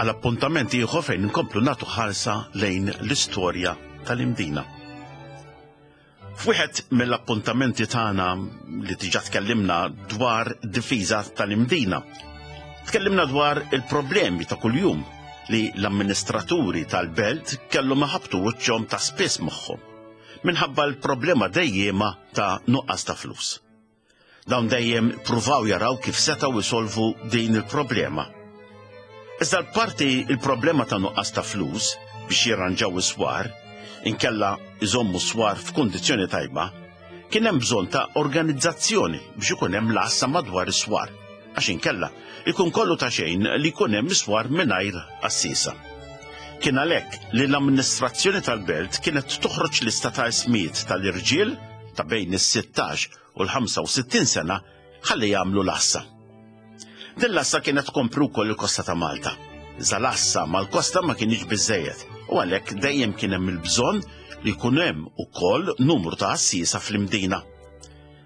għal appuntament ieħor fejn inkomplu nagħtu ħarsa lejn l-istorja tal-Imdina. F'wieħed mill-appuntamenti tagħna li diġà tkellimna dwar difiża tal-Imdina. Tkellimna dwar il-problemi ta' kuljum li l-amministraturi tal-belt kellhom iħabbtu wiċċhom ta' spiss magħhom minħabba l-problema dejjema ta' nuqqas ta' flus. Dawn dejjem pruvaw jaraw kif setgħu jsolvu din il-problema. Iżda l-parti il-problema ta' nuqqas ta' flus biex jirranġaw is-swar, inkella iżommu s-swar f'kundizzjoni tajba, kien hemm bżonn ta' organizzazzjoni biex ikun hemm l-għassa madwar is-swar, għax inkella ikun kollu ta' xejn li jkun hemm is-swar mingħajr għassiesa. Kien għalhekk li l-amministrazzjoni tal-belt kienet toħroġ lista ta' ismijiet tal-irġiel ta' bejn is-16 u l-65 sena ħalli jagħmlu l-għassa. Din l-għassa kienet tkompri wkoll il-kosta ta' Malta. Iżda l-għassa mal-kosta ma kienx biżejjed u għalhekk dejjem kien hemm il-bżonn li jkun hemm ukoll numru ta' għassiesa fl-Imdina.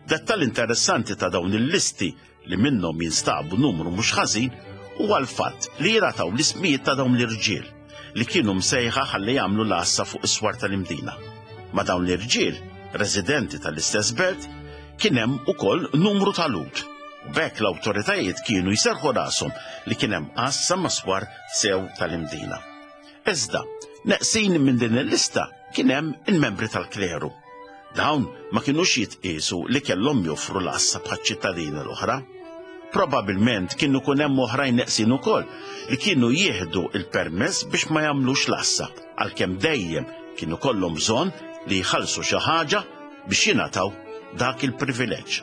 Dettall interessanti ta' dawn il-listi li minnhom jinstabu numru mhux ħażin huwa l-fatt li jingħataw l-ismijiet ta' dawn l-irġiel li kienu msejħa ħalli jagħmlu l-għassa fuq is-swar tal-Imdina. Ma' dawn l-irġiel, residenti tal-istess belt, kien hemm ukoll numru ta' Lhud. U b'hekk l-awtoritajiet kienu jserrħu rashom li kien hemm għassa mas-swar sew tal-Imdina. Iżda, neqsin minn din il-lista kien hemm il-membri tal-kleru. Dawn ma kinux jitqiesu li kellhom joffru l-għassa bħaċ-ċittadini l-oħra. Probabilment kien ikun hemm oħrajn neqsin ukoll li kienu jieħdu l-permess biex ma jagħmlux l-għassa, għalkemm dejjem kien ikollhom bżonn li jħallsu xi ħaġa biex jingħataw dak il-privileġġ.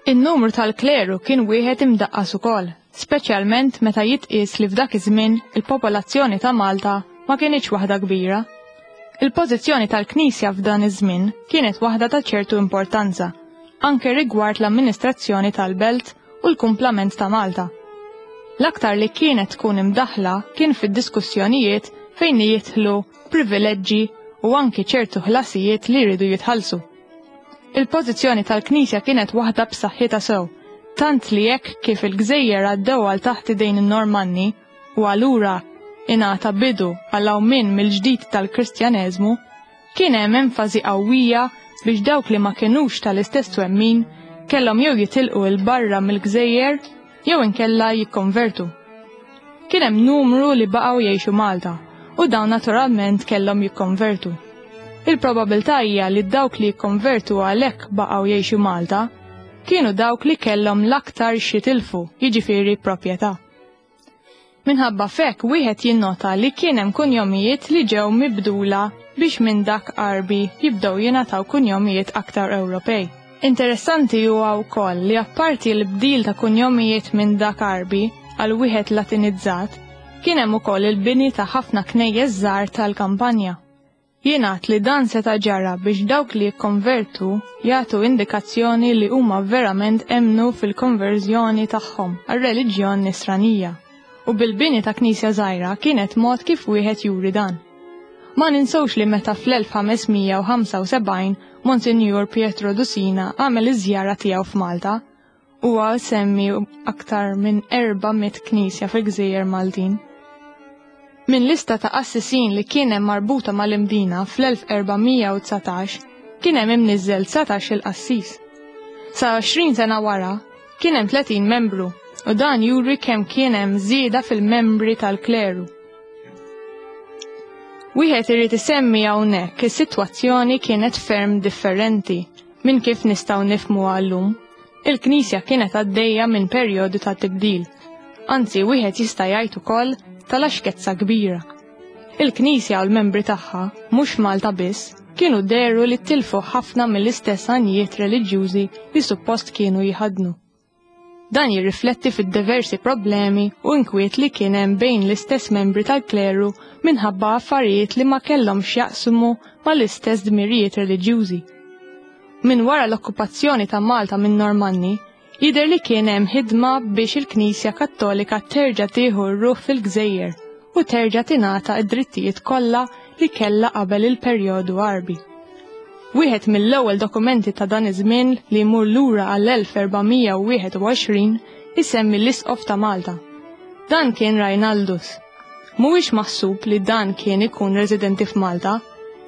In-numru tal-kleru kien wieħed imdaqqas ukoll, speċjalment meta jitqies li f'dak iż-żmien il-popolazzjoni ta' Malta ma kinitx waħda kbira. Il-pożizzjoni tal-Knisja f'dan iż-żmien kienet waħda ta' ċertu importanza, anke rigward l-amministrazzjoni tal-belt u l-kumplament ta' Malta. L-aktar li kienet tkun imdaħħla kien fid-diskussjonijiet fejn jidħlu privileġġi u anki ċertu ħlasijiet li jridu jitħallsu. Il-pożizzjoni tal-Knisja kienet waħda b'saħħitha sew, tant li hekk kif il-gżejjer għaddew għal taħt idejn in-Normanni, u allura ingħata bidu għall-qawmien mill-ġdid tal-Kristjaneżmu, kien hemm enfasi qawwija biex dawk li ma kinux tal-istess twemmin kellhom jew jitilqu 'l barra mill-gżejjer jew inkella jikkonvertu. Kien hemm numru li baqgħu jgħixu Malta u dawn naturalment kellhom jikkonvertu. Il-probabilità hija li dawk li jikkonvertu għalhekk baqgħu jgħixu Malta kienu dawk li kellhom l-aktar x'jitilfu, jiġifieri proprjetà. Minħabba f'hekk wieħed jinnota li kien hemm kunjomijiet li ġew mibdula biex minn dak Għarbi jibdew jingħataw kunjomijiet aktar Ewropej. Interessanti huwa wkoll li apparti l-bdil ta' kunjomijiet minn dak Għarbi għal wieħed Latinizzat, kien hemm ukoll il-bini ta' ħafna knejjes żgħar tal-kampanja. Jingħad li dan seta' ġara biex dawk li jikkonvertu jagħtu indikazzjoni li huma verament emmnu fil-konverżjoni tagħhom għar-reliġjon Nisranija, u bil-bini ta' knisja żgħira kienet mod kif wieħed juri dan. Ma ninsewx li meta fl-1575 Monsinjur Pietro Dusina għamel iż-żjara tiegħu f'Malta, Huwa jsemmi aktar minn 400 knisja fil-gżejjer Maltin. Minn lista ta' qassisin li kien hemm marbuta mal-Imdina fl-1419 kien hemm imniżżel 19-il qassis. Sa 20 sena wara kien hemm 30 membru u dan juri kemm kien hemm żieda fil-membri tal-kleru. Wieħed irid isemmi hawnhekk is-sitwazzjoni kienet ferm differenti minn kif nistgħu nifhmuha llum. Il-Knisja kienet għaddejja minn perjodu ta' tibdil. Anzi, wieħed jista' jgħid ukoll ta' laxkezza kbira. Il-Knisja u l-membri tagħha, mhux Malta biss, kienu dehru li tilfu ħafna mill-istess għanijiet reliġjużi li suppost kienu jħaddnu. Dan jirrifletti fid-diversi problemi u inkwiet li kien hemm bejn l-istess membri tal-kleru minħabba affarijiet li ma kellhomx x'jaqsmu mal-istess dmirijiet reliġjużi. Minn wara l-okkupazzjoni ta' Malta minn Normanni, jidher li kien hemm ħidma biex il-Knisja Kattolika terġa' tieħu r-ruħ fil-gżejjer u terġa' tingħata d-drittijiet kollha li kellha qabel il-perjodu Għarbi. Wieħed mill-ewwel dokumenti ta' dan iż-żmien li jmur lura għall-1421 isemmi l-Isqof ta' Malta. Dan kien Rajnaldus. Mhuwiex maħsub li dan kien ikun residenti f'Malta,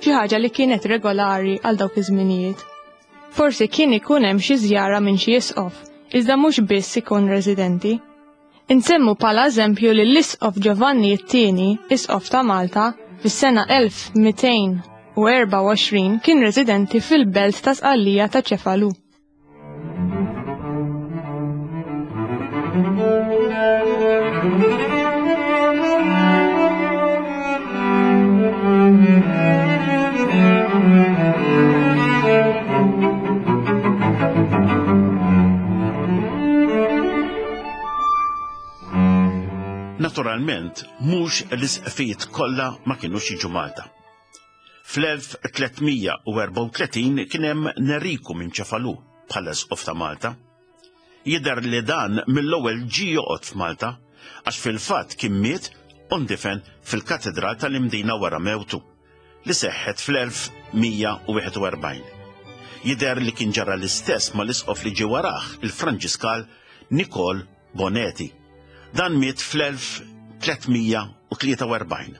xi ħaġa li kienet regolari għal dawk iż-żminijiet. Forsi kien ikun hemm xi żjara minn xi isqof, iżda mhux biss ikun residenti. Insemmu bħala eżempju li l-Isqof Giovanni t-Tieni, Isqof ta' Malta, fis-sena 1224 kien residenti fil-belt ta' Sqallija ta' Ċefalu. Naturalment, mhux l-isqfijiet kollha ma kinux jiġu Malta. Fl-1334 kien hemm Neriku minn Ċefalu bħala isqof ta' Malta. Jidher li dan mill-ewwel ġie joqgħod f'Malta għax fil-fatt kien miet u ndifen fil-Katedral tal-Imdina wara mewtu, li seħħet fl-1141. Jidher li kien ġara l-istess mal-isqof li ġie warah, il-Franġiskal Nikol Boneti. Dan miet fl-1343.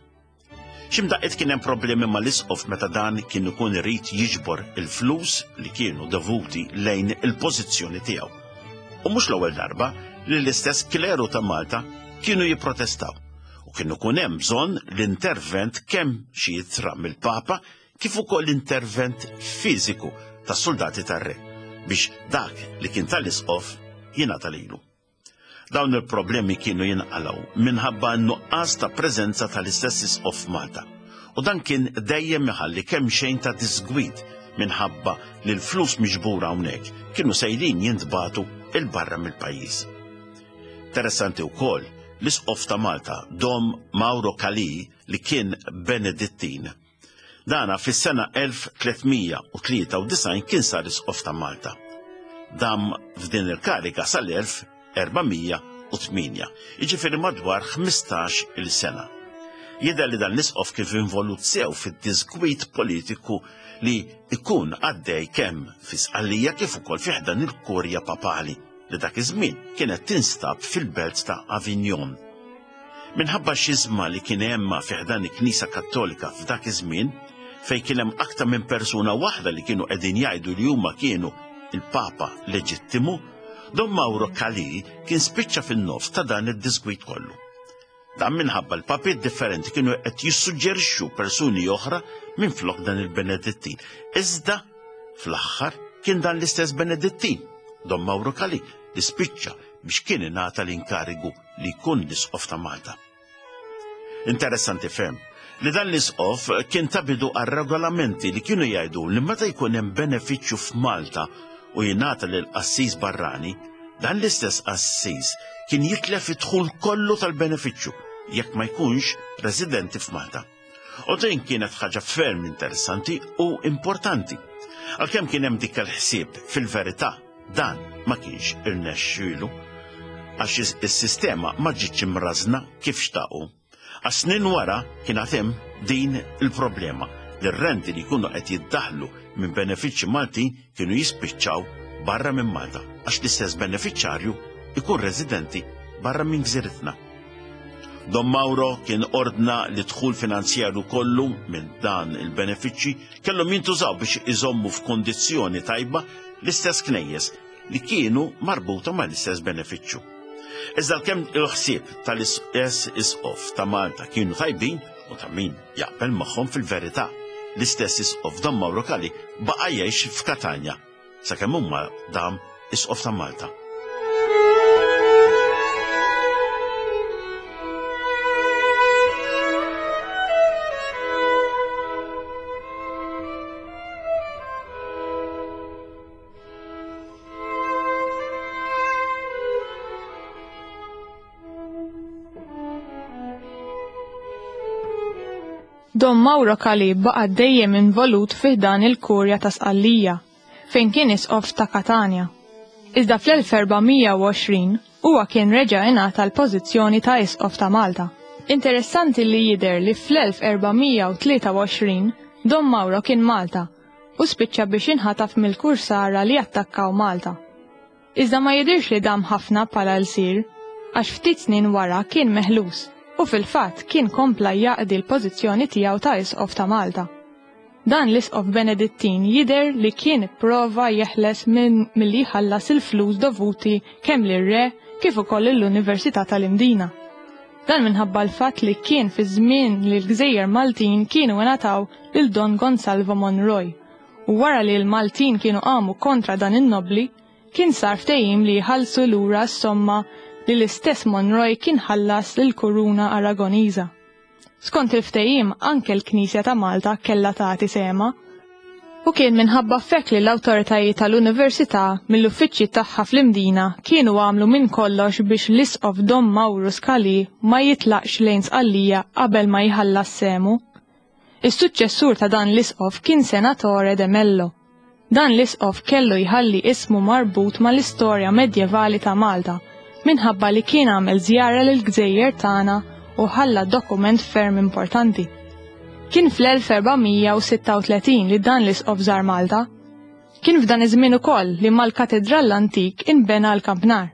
X'imdaqqiet kien hemm problemi mal-isqof meta dan kien ikun irid jiġbor il-flus li kienu dovuti lejn il-pożizzjoni tiegħu. U mhux l-ewwel darba li l-istess kleru ta' Malta kienu jipprotestaw u kien ikun hemm bżonn l-intervent kemm xi ittra mill-Papa kif ukoll intervent fiżiku tas-suldati tar-re biex dak li kien tal-isqof jingħata lilu. Dawn il-problemi kienu jinqalgħu minħabba n-nuqqas ta' preżenza tal-istess isqof f'Malta. U dan kien dejjem iħalli kemxejn ta' diżgwid minħabba li l-flus miġbura hawnhekk kienu sejrin jintbagħtu 'il barra mill-pajjiż. Interessanti wkoll l-isqof ta' Malta, Dom Mauro Calì, li kien Benedittin, Dana fis-sena 1393 kien sar Isqof ta' Malta. Dam f'din il-kariga sal-1408, jiġifieri madwar 15 il sena. Jidher li dan l-isqof kien involut sew fid-diżgwid politiku li jkun għaddej kemm fi Sqallija kif ukoll fi ħdan il-Kurja Papali li dak iż-żmien kienet tinstab fil-belt ta' Avignon. Minħabba x-xiżma li kien hemm fi ħdan il-Knisja Kattolika f'dak iż-żmien, fejn kien hemm aktar minn persuna waħda li kienu qegħdin jgħidu li huma kienu l-Papa leġittimu, Don Mauro Calì kien spiċċa fin-nofs ta' dan id-diżgwid kollu. Dan minħabba l-papiet differenti kienu qed jissuġġerixxu persuni oħra minflok dan il-Benedittin. Iżda fl-aħħar kien dan l-istess Benedittin, Don Mauro Calì, li spiċċa biex kien ingħata l-inkarigu li jkun l-Isqof ta' Malta. Interessanti ferm li dan l-Isqof kien ta bidu għal regolamenti li kienu jgħidu li meta jkun hemm benefiċċju f'Malta u jingħata lil qassis barrani, dan l-istess qassis kien jitlef id-dħul kollu tal-benefiċċju jekk ma jkunx residenti f'Malta. U din kienet ħaġa ferm interessanti u importanti. Għalkemm kien hemm dik il-ħsieb fil-verità Dan ma kienx irnexxielu għax is-sistema ma ġietx imrażżna kif xtaqu. Għax snin wara kien għad hemm din il-problema li r-renti li jkunu qed jiddaħħlu minn benefiċċji Maltin kienu jispiċċaw barra minn Malta għax l-istess benefiċċarju jkun residenti barra minn gżiritna. Don Mauro kien ordna li d-dħul finanzjarju kollu minn dan il-benefiċċji kellhom jintużaw biex iżommu f'kundizzjoni tajba l-istess knejjes li kienu marbuta mal-istess benefiċċju. Iżda għalkemm il-ħsieb tal-istess isqof ta' Malta kienu tajbin u ta' min jaqbel magħhom fil-verità, l-istess isqof Don Mauro Calì baqa' jgħix f'Katanja sakemm huma dam isqof ta' Malta. Don Mauro Calì baqa' dejjem involut fi ħdan il-Kurja ta' Sqallija. fejn kien isqof ta' Katanja. Iżda fl-1420 huwa kien reġa' ingħata l-pożizzjoni ta' isqof ta' Malta. Interessanti li jidher li fl-1423 Dom Mauro kien Malta u spiċċa biex inħataf mill-kursara li attakkaw Malta. Iżda ma jidhirx li dam ħafna bħala lsir, għax ftit snin wara kien meħlus u fil-fatt kien kompla jaqdi l-pożizzjoni tiegħu ta' Isqof ta' Malta. Dan l-Isqof Benedittin jidher li kien ipprova jeħles minn milli jħallas il-flus dovuti kemm lir-Re kif ukoll lill-Università tal-Imdina. Dan minħabba l-fatt li kien fi żmien li l-gżejjer Maltin kienu ingħataw lil Don Gonsalvo Monroy u wara li l-Maltin kienu qamu kontra dan in-nobbli, kien sar ftehim li jħallsu lura s-somma li l-istess Monroy kien ħallas lill-Kuruna Aragoniża. Skont il-ftehim anke l-Knisja ta' Malta kellha tagħti sehemha. U kien minħabba f'hekk li l-awtoritajiet tal-Università mill-uffiċċji tagħha fl-Imdina kienu għamlu minn kollox biex l-Isqof Dom Mauro Scali ma jitlaqx lejn Sqallija qabel ma jħallas sehmu. Is-suċċessur ta' dan l-isqof kien Senatore de Mello. Dan l-isqof kellu jħalli ismu marbut mal-istorja medjevali ta' Malta minħabba li kien għamel żjara lill-gżejjer tagħna u ħalla dokument ferm importanti. Kien fl-1436 li dan l-isqof żar Malta. Kien f'dan iż-żmien ukoll li mal-katidral l-antik inbena l-kampnar.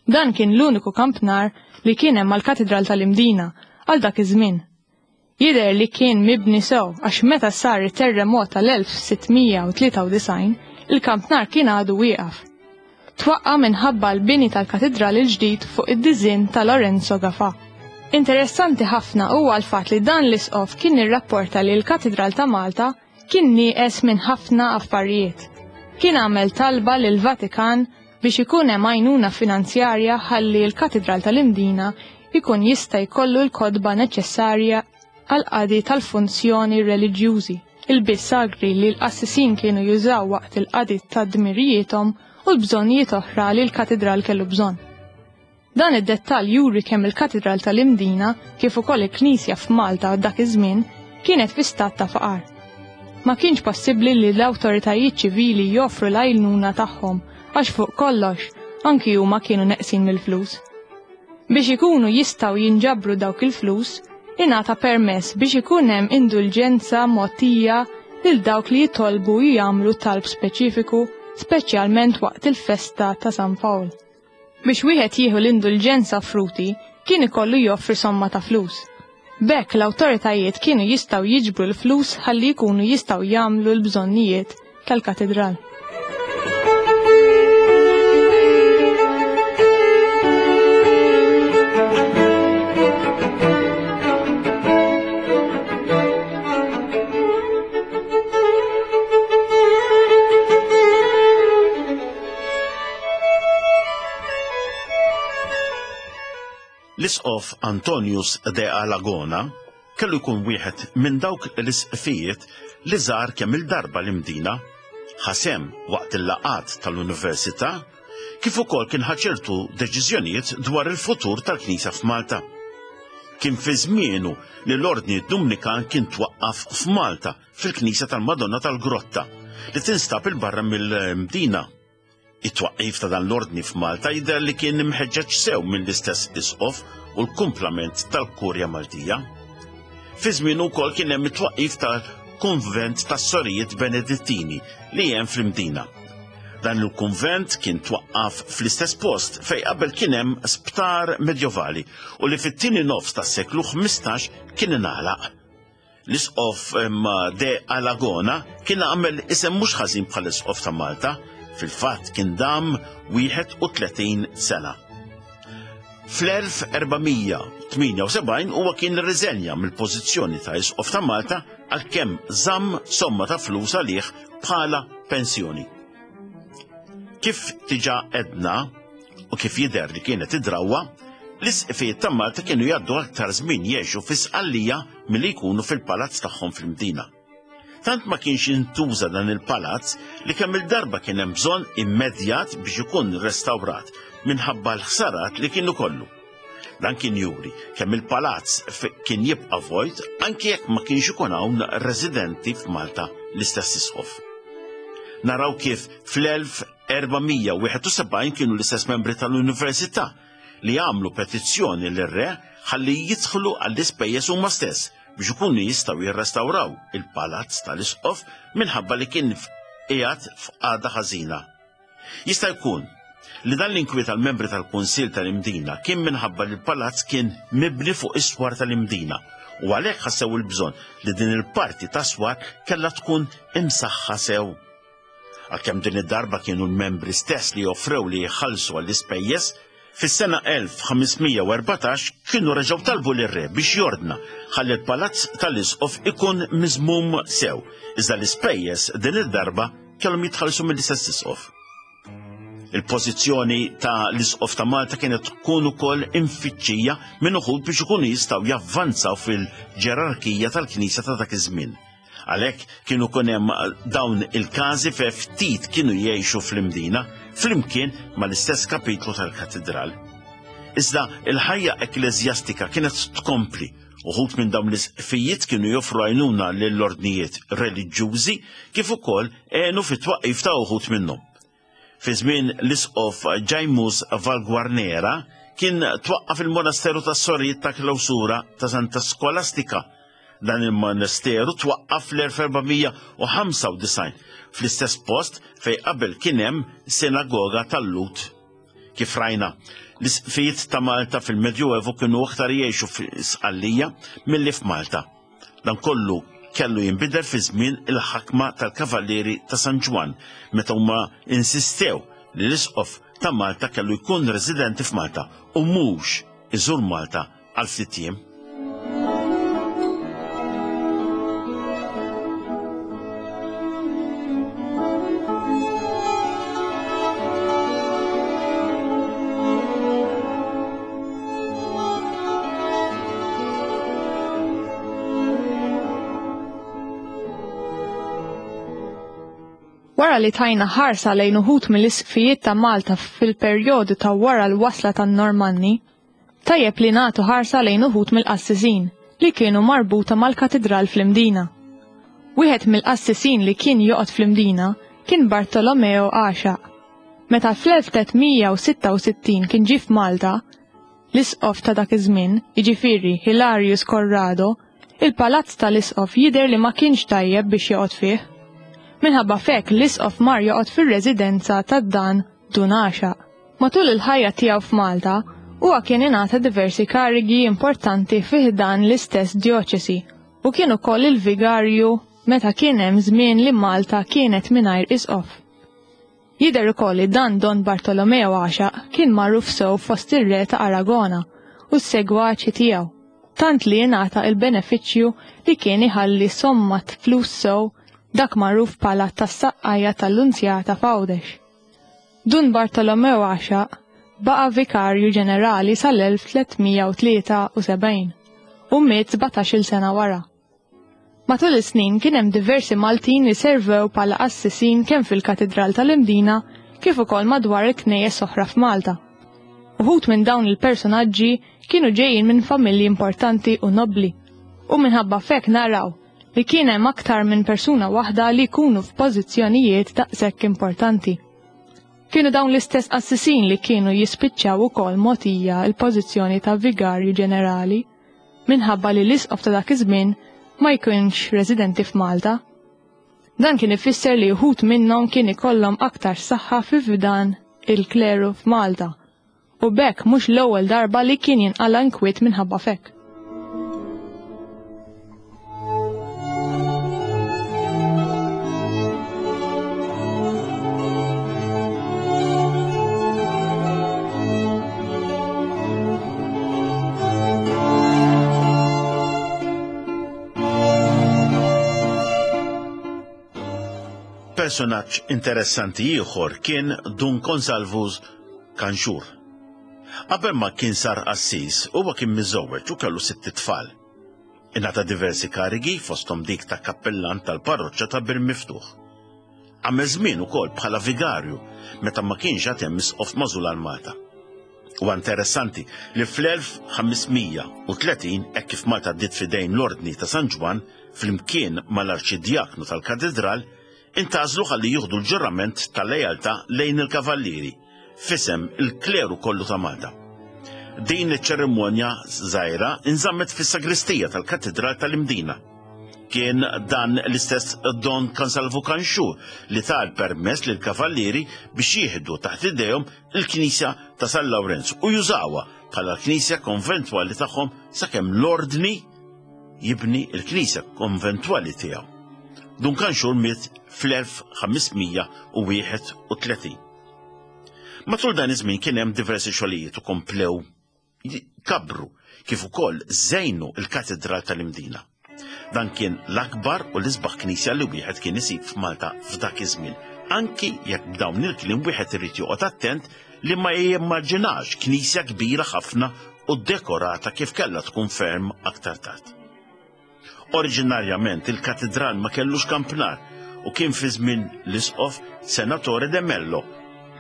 Dan kien l-uniku kampnar li kien hemm mal-katidral tal-Imdina għal dak iż-żmien. Jidher li kien mibni sew għax meta sar it-terremot tal-1693, il-kampnar kien għadu wieqaf. Twaqqa' minħabba l-bini tal-katidral il-ġdid fuq id-diżinn ta' Lorenzo Gafà. Interessanti ħafna huwa l-fatt li dan l-isqof kien irrapporta li l-Katidral ta' Malta kien nieqes minn ħafna affarijiet. Kien għamel talba lill-Vatikan biex ikun hemm għajnuna finanzjarja ħalli l-Katidral tal-Imdina jkun jista' jkollu l-kotba neċessarja għall-qadi tal-funzjoni reliġjużi, il-biss sagri li l-qassisin kienu jużaw waqt il-qadi ta' dmirijiethom u l-bżonnijiet oħra li l-katidral kellu bżonn. Dan id-dettall juri kemm il-Katidral tal-Imdina kif ukoll il-Knisja f'Malta dak iż-żmien kienet fi stat ta' faqar. Ma kienx possibbli li l-awtoritajiet ċivili joffru l-għajnuna tagħhom għax fuq kollox anki huma kienu neqsin mill-flus. Biex ikunu jistgħu jinġabru dawk il-flus, ingħata permess biex ikun hemm indulġenza mogħtija lil dawk li jitolbu jagħmlu talb speċifiku, speċjalment waqt il-festa ta' San Pawl. Biex wieħed jieħu l-indulġenza offruti, kien ikollu joffri somma ta' flus. B'hekk l-awtoritajiet kienu jistgħu jiġbru l-flus ħalli jkunu jistgħu jagħmlu l-bżonnijiet tal-katidral. L-Isqof Antonius de Alagona kellu jkun wieħed minn dawk l-isqfijiet li żar kemm il-darba l-Imdina, ħa sehem waqt il-laqgħat tal-Università, kif ukoll kien ħa ċertu deċiżjonijiet dwar il-futur tal-Knisja f'Malta. Kien fi żmienu li l-Ordni Dumnikan kien twaqqaf f'Malta fil-Knisja tal-Madonna tal-Grotta li tinstab 'il barra mill-Mdina. It-twaqqif ta' dan l-ordni f'Malta jidher li kien imħeġġeġ sew mill-istess isqof u l-kumplament tal-Kurja Maltija. Fi żmienu wkoll kien hemm it-twaqqif tal-Kunvent tas-Sorijiet Benedittini li hemm fl-Imdina. Dan il-kunvent kien twaqqaf fl-istess post fejn qabel kien hemm sptar medjovali u li fit-tieni nofs tas-seklu 15 kien ingħalaq. L-Isqof De Alagona kien għamel isem mhux ħażin bħala Isqof ta' Malta, fil-fatt kien dam 31 sena. Fl-1478 huwa kien irriżenja mill-pożizzjoni ta' Isqof ta' Malta għalkemm żamm somma ta' flus għalih bħala pensjoni. Kif diġà għedna, u kif jidher li kienet id-drawwa, l-isqfijiet ta' Malta kienu jgħaddu aktar żmien jgħixu fi Sqallija milli jkunu fil-palazz tagħhom fil-Mdina. Tant ma kienx jintuża dan il-palazz li kemm il-darba kien hemm bżonn immedjat biex ikun restawrat minħabba l-ħsarat li kienu kollu. Dan kien juri kemm il-palazz kien jibqa' vojt anki jekk ma kienx ikun hawn residenti f'Malta l-istess isqof. Naraw kif fl-1471 kienu l-istess membri tal-Università li għamlu petizzjoni lir-re ħalli jidħlu għall-ispejjeż huma stess biex ikunu jistgħu jirrestawraw il-palazz tal-isqof minħabba li kien qiegħed f'qagħda ħażina. Jista' jkun li dan l-inkwiet għall-membri tal-Kunsill tal-Imdina kien minħabba li l-palazz kien mibni fuq is-swar tal-Imdina u għalhekk ħassew il-bżonn li din il-parti tas-swar kellha tkun imsaħħa sew. Għalkemm din id-darba kienu l-membri stess li offrew li jħallsu għall-ispejjeż, fis-sena 1514 kienu reġgħu talbu lir-re biex jordna ħalli l-palazz tal-isqof ikun miżmum sew, iżda l-ispejjeż din id-darba kellhom jitħallsu mill-istess isqof. Il-pożizzjoni ta' l-Isqof ta' Malta kienet tkun ukoll imfittxija minn uħud biex ikunu jistgħu javvanzaw fil-ġerarkija tal-Knisja ta' dak iż-żmien. Għalhekk kienu kun hemm dawn il-każi fe ftit kienu jgħixu fl-Imdina flimkien mal-istess kapitlu tal-katedral. Iżda il-ħajja ekkleżjastika kienet tkompli. Uħud minn dawn l-isqfijiet kienu joffru għajnuna lill-ordnijiet reliġjużi kif ukoll għenu fit-twaqqif ta' uħud minnhom. Fi żmien l-isqof Ġajmus Valguarnera kien twaqqaf il-monasteru tas-sorijiet ta' klawsura ta' Santa Skolastika. Dan il-monasteru twaqqaf fl-1495 fl-istess post fejn qabel kien hemm sinagoga tal-Lhud. Kif rajna, l-isqfijiet ta' Malta fil-Medjuevu kienu aktar jgħixu fi Sqallija milli f'Malta. Dan kollu kellu jinbidel fi żmien il-ħakma tal-Kavallieri ta' San Ġwann meta huma insistew li l-Isqof ta' Malta kellu jkun residenti f'Malta u mhux iżur Malta għal ftit jiem. Wara li tajna ħarsa lejn uħud mill-isqfijiet ta' Malta fil-perjodu ta' wara l-wasla tan-Normanni, tajjeb li nagħtu ħarsa lejn uħud mill-qassisin li kienu marbuta mal-katidral fl-Imdina. Wieħed mill-qassisin li kien joqgħod fl-Imdina kien Bartolomeo Għaxaq. Meta fl-1366 kien ġie f'Malta, l-isqof ta' dak iż-żmien, jiġifieri Hilarius Corrado, il-palazz tal-isqof jidher li ma kienx tajjeb biex joqgħod fih. Minħabba f'hekk l-isqof mar joqgħod fir-residenza ta' dan Dun Għaxaq. Matul il-ħajja tiegħu f'Malta, huwa kien ingħata diversi karigi importanti fi ħdan l-istess djoċesi u kien ukoll il-vigarju meta kien hemm żmien li Malta kienet mingħajr isqof. Jidher ukoll li dan Don Bartolomeo Għaxaq kien magħruf sew fost ir-re ta' Aragona u s-segwaċi tiegħu, tant li ingħata il-benefiċċju li kien iħalli somma flus sew dak magħruf bħala tas-saqqajja tal-Lunzjata f'Għawdex. Dun Bartolomew Għaxaq baqa' vikarju ġenerali sal-1373 u miet 17-il sena wara. Matul is-snin kien hemm diversi Maltin li servew bħala qassisin kemm fil-Katidral tal-Imdina kif ukoll madwar il-knejjes oħra f'Malta. Uħud minn dawn il-personaġġi kienu ġejjin minn familji importanti u nobbli u minħabba f'hekk naraw li kien hemm aktar minn persuna waħda li jkunu f'pożizzjonijiet daqshekk importanti. Kienu dawn l-istess qassisin li kienu jispiċċaw ukoll mogħtija l-pożizzjoni ta' vigarju ġenerali minħabba li l-isqof ta' dak iż-żmien ma jkunx residenti f'Malta. Dan kien ifisser li wħud minnhom kien ikollhom aktar saħħa fi fdan il-kleru f'Malta u b'hekk mhux l-ewwel darba li kien jinqala' inkwiet minħabba f'hekk. Personaġġ interessanti ieħor kien Dun Konsalvus Kanxur. Qabel ma kien sar qassis, huwa kien miżżewweġ u kellu sitt itfal. Ingħata diversi karigi fosthom dik ta' kappillan tal-parroċċa ta' Bir Miftuħ. Għamel żmien ukoll bħala vigarju meta ma kienx għad hemm isqof magħżul għal Malta. Huwa interessanti li fl-1530 hekk kif Malta ddiet f'idejn l-Ordni ta' San Ġwann flimkien mal-Arċidjaknu tal-Katidral, Intgħażlu ħalli jieħdu l-ġurament ta' lealtà lejn il-Kavallieri, f'isem il-kleru kollu ta' Malta. Din iċ-ċerimonja żgħira inżammet fis-sagristija tal-Katidral tal-Imdina. Kien dan l-istess Don Kansalvu Kanxu li ta l-permess lill-Kavallieri biex jieħdu taħt idejhom il-Knisja ta' San Lawrenz u jużawha bħala l-knisja konventwali tagħhom sakemm l-Ordni jibni l-knisja konventwali tiegħu. Dun Kanxur miet fl-1531. Matul dan iż-żmien kien hemm diversi xogħlijiet u komplew kabru kif ukoll żejnu l-Katidral tal-Imdina. Dan kien l-akbar u l-isbaħ knisja li wieħed kien isib f'Malta f'dak iż-żmien, anki jekk b'dawn il-kliem wieħed irid joqgħod attent li ma jimmaġinax knisja kbira ħafna u dekorata kif kellha tkun ferm aktar tard. Oriġinarjament il-katidral ma kellux kampnar u kien fi żmien l-isqof Senatore de Mello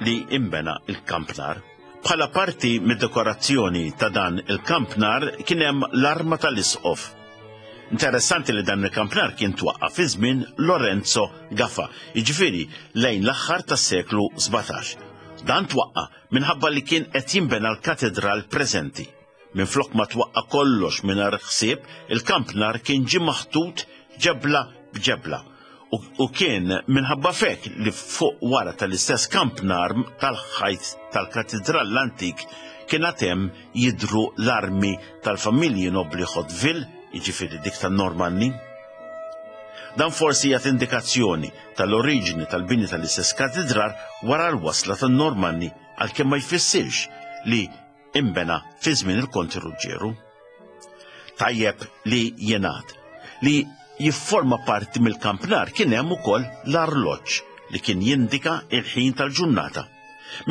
li imbena il-kampnar. Bħala parti mid-dekorazzjoni ta' dan il-kampnar kien hemm l-arma tal-isqof. Interessanti li dan il-kampnar kien twaqqa' fi żmien Lorenzo Gafà, jiġifieri lejn l-aħħar tas-seklu 17. Dan twaqqa' minħabba li kien qed jinbena l-katidral preżenti. Minflok ma twaqqa' kollox mingħajr ħsieb, il-kampnar kien ġie maħtut ġebla b'ġebla u kien minħabba f'hekk li fuq wara tal-istess kampnar tal-ħajt tal-katidral l-antik kien għad hemm jidhru l-armi tal-familji nobbli Hauteville, jiġifieri dik tan-Normanni. Dan forsi jagħti indikazzjoni tal-oriġini tal-bini tal-istess katidral wara l-wasla tan-Normanni għalkemm ma jfissirx li inbena fi żmien il-Konti Ruġġieru. Tajjeb li jingħad li jifforma parti mill-kampnar kien hemm ukoll l-arloġġ li kien jindika il-ħin tal-ġurnata.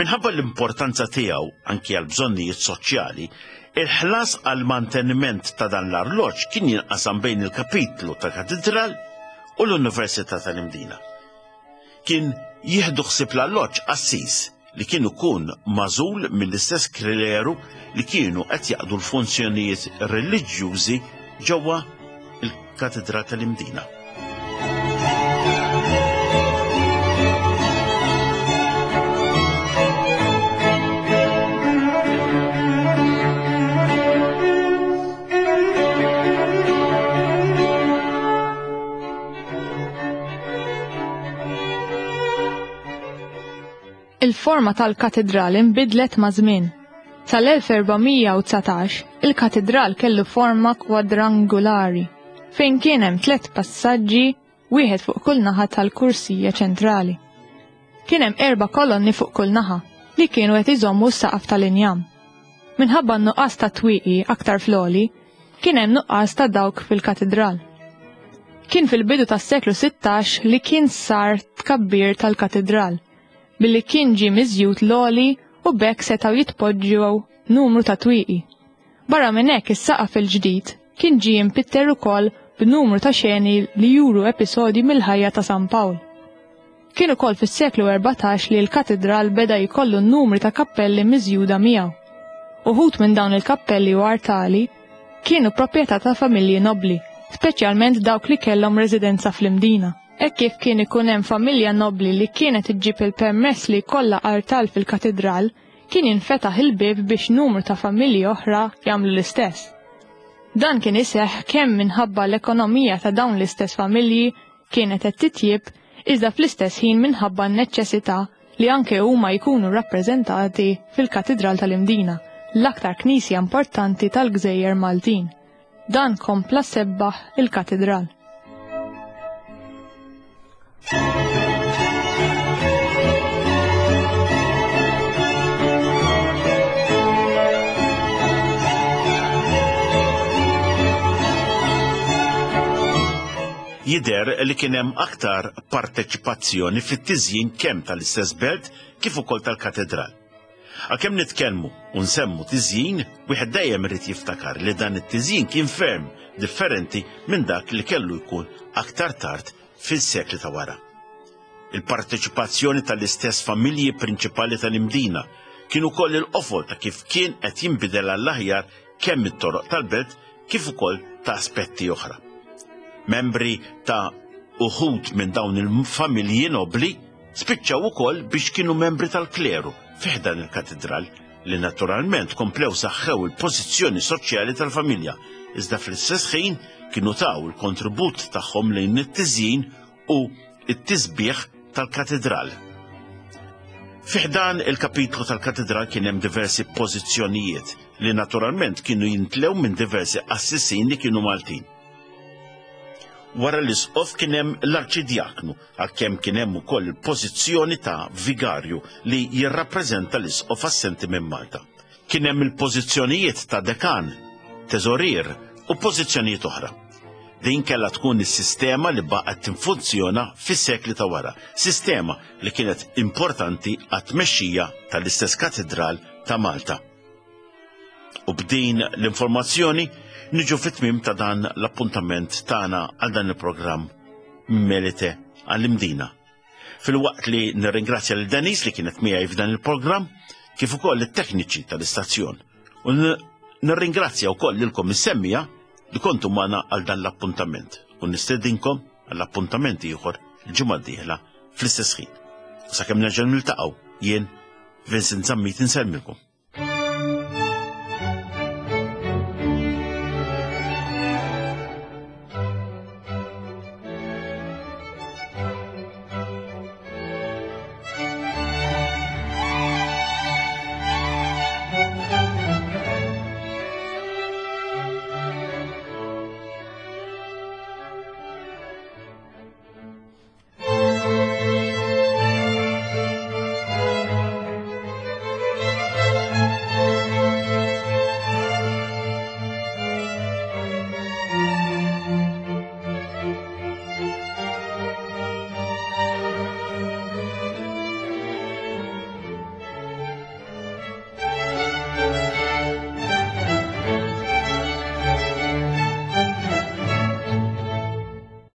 Minħabba l-importanza tiegħu anki għal bżonnijiet soċjali, il-ħlas għal manteniment ta' dan l-arloġġ kien jinqasam bejn il-kapitlu tal-katidral u l-Università tal-Imdina. Kien jieħdu ħsieb l-alloġġ qassis li kien ikun magħżul mill-istess kleru li kienu qed jaqdu l-funzjonijiet reliġjużi ġewwa il-Katedral tal-Imdina. Il-forma tal-katidral inbidlet maż-żmien. Sal-1419, il-katidral kellu forma kwadrangulari, fejn kien hemm tlett passaġġi, wieħed fuq kull naħa tal-kursija ċentrali. Kien hemm erba' kolonni fuq kull naħa, li kienu qed iżommu s-saqaf tal-injam. Minħabba n-nuqqas ta' twieqi aktar fl-għoli, kien hemm nuqqas ta' dawk fil-katidral. Kien fil-bidu tas-seklu 16 li kien sar tkabbir tal-katidral, billi kien ġie miżjud l-għoli u b'hekk setgħu jitpoġġew numru ta' twieqi. Barra minn hekk is-saqaf il-ġdid kien ġie impitter ukoll b'numru ta' xeni li juru episodji mill-ħajja ta' San Pawl. Kien ukoll fis-seklu 14 li l-katidral beda jkollu numri ta' kappelli miżjuda miegħu. Uħud minn dawn il-kappelli u artali kienu proprjetà ta' familji nobbli, speċjalment dawk li kellhom residenza fl-Imdina. Hekk kif kien ikun hemm familja nobbli li kienet iġġib il-permess li jkollha artal fil-katidral, kien jinfetaħ il-bieb biex numru ta' familji oħra jagħmlu l-istess. Dan kien iseħħ kemm minħabba l-ekonomija ta' dawn l-istess familji kienet qed titjieb iżda fl-istess ħin minħabba n-neċċesità li anke huma jkunu rappreżentati fil-Katidral tal-Imdina, l-aktar knisja importanti tal-gżejjer Maltin. Dan kompla sebbaħ il-katidral. Jidher li kien hemm aktar parteċipazzjoni fit-tiżjin kemm tal-istess belt kif ukoll tal-katedral. Għalkemm nitkellmu u nsemmu tiżjin, wieħed dejjem irid jiftakar li dan it-tiżjin kien ferm differenti minn dak li kellu jkun aktar tard fis-sekli ta' wara. Il-parteċipazzjoni tal-istess familji prinċipali tal-Imdina kien ukoll il-qofol ta' kif kien qed jinbidel għall-aħjar kemm it-toroq tal-belt kif ukoll ta' aspetti oħra. Membri ta' Uħud minn dawn il-familji nobbli spiċċaw ukoll biex kienu membri tal-kleru fi ħdan il-katidral li naturalment komplew saħħew il-pożizzjoni soċjali tal-familja, iżda fl-istess ħin kienu taw il-kontribut tagħhom lejn it-tiżjin u t-tisbiħ tal-katidral. Fi ħdan il-kapitlu tal-katidral kien hemm diversi pożizzjonijiet li naturalment kienu jintlew minn diversi qassisin li kienu Maltin. Wara l-isqof kien hemm l-arċidjaknu, għalkemm kien hemm ukoll il-pożizzjoni ta' vigarju li jirrappreżenta l-isqof assenti minn Malta. Kien hemm il-pożizzjonijiet ta' dekan, teżorier u pożizzjonijiet oħra. Din kellha tkun is-sistema li baqgħet tinfunzjona fis-sekli ta' wara, sistema li kienet importanti għat-tmexxija tal-istess katidral ta' Malta. U b'din l-informazzjoni niġu fit-tmiem ta' dan l-appuntament tagħna għal dan il-programm Melite għall-Imdina. Filwaqt li nirringrazzja lil Denis li kienet miegħi f'dan il-programm, kif ukoll it-tekniċi tal-istazzjon. U nirringrazzja wkoll lilkom is-semmija li kontu magħna għal dan l-appuntament u nistedinkom għall-appuntament ieħor il-ġimgħa d-dieħla fl-istess ħin. Sakemm nerġa' niltaqgħu jien Vincent Zammit insellmilkom.